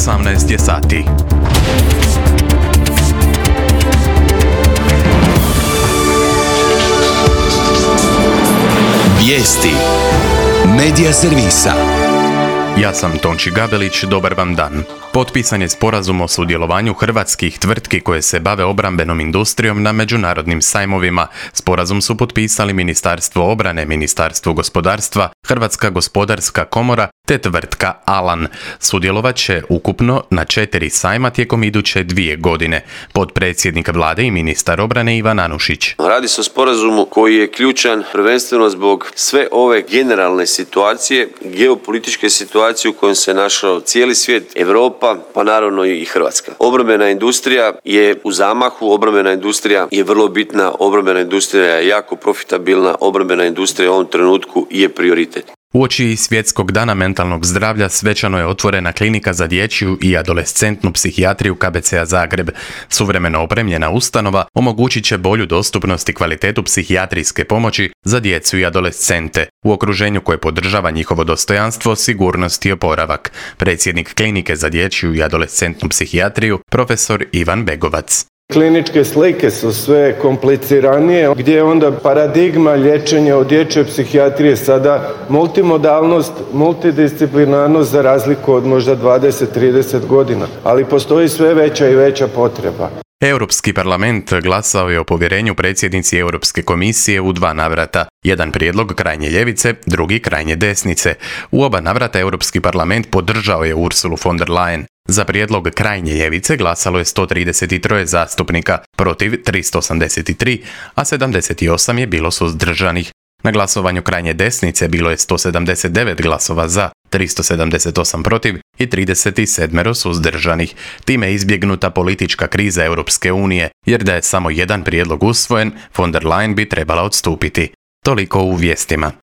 18 je sati. Vijesti Medija servisa. Ja sam Tonči Gabelić, dobar vam dan. Potpisan je sporazum o sudjelovanju hrvatskih tvrtki koje se bave obrambenom industrijom na međunarodnim sajmovima. Sporazum su potpisali Ministarstvo obrane, Ministarstvo gospodarstva, Hrvatska gospodarska komora te tvrtka Alan. Sudjelovat će ukupno na 4 sajma tijekom iduće 2 godine. Potpredsjednik vlade i ministar obrane Ivan Anušić. Radi se o sporazumu koji je ključan prvenstveno zbog sve ove generalne situacije, geopolitičke situacije u kojoj se našao cijeli svijet, Europa, pa naravno i Hrvatska. Obrambena industrija je u zamahu, obrambena industrija je vrlo bitna, obrambena industrija je jako profitabilna, obrambena industrija u ovom trenutku je prioritet. Uoči Svjetskog dana mentalnog zdravlja svečano je otvorena klinika za dječju i adolescentnu psihijatriju KBC-a Zagreb. Suvremeno opremljena ustanova omogućit će bolju dostupnost i kvalitetu psihijatrijske pomoći za djecu i adolescente u okruženju koje podržava njihovo dostojanstvo, sigurnost i oporavak. Predsjednik klinike za dječju i adolescentnu psihijatriju, profesor Ivan Begovac. Kliničke slike su sve kompliciranije, gdje je onda paradigma liječenja od dječje psihijatrije sada multimodalnost, multidisciplinarnost za razliku od možda 20-30 godina, ali postoji sve veća i veća potreba. Europski parlament glasao je o povjerenju predsjednici Europske komisije u 2 navrata. Jedan prijedlog krajnje ljevice, drugi krajnje desnice. U oba navrata Europski parlament podržao je Ursulu von der Leyen. Za prijedlog krajnje ljevice glasalo je 133 zastupnika, protiv 383, a 78 je bilo suzdržanih. Na glasovanju krajnje desnice bilo je 179 glasova za, 378 protiv i 37 suzdržanih. Time je izbjegnuta politička kriza Europske unije, jer da je samo jedan prijedlog usvojen, von der Leyen bi trebala odstupiti. Toliko u vijestima.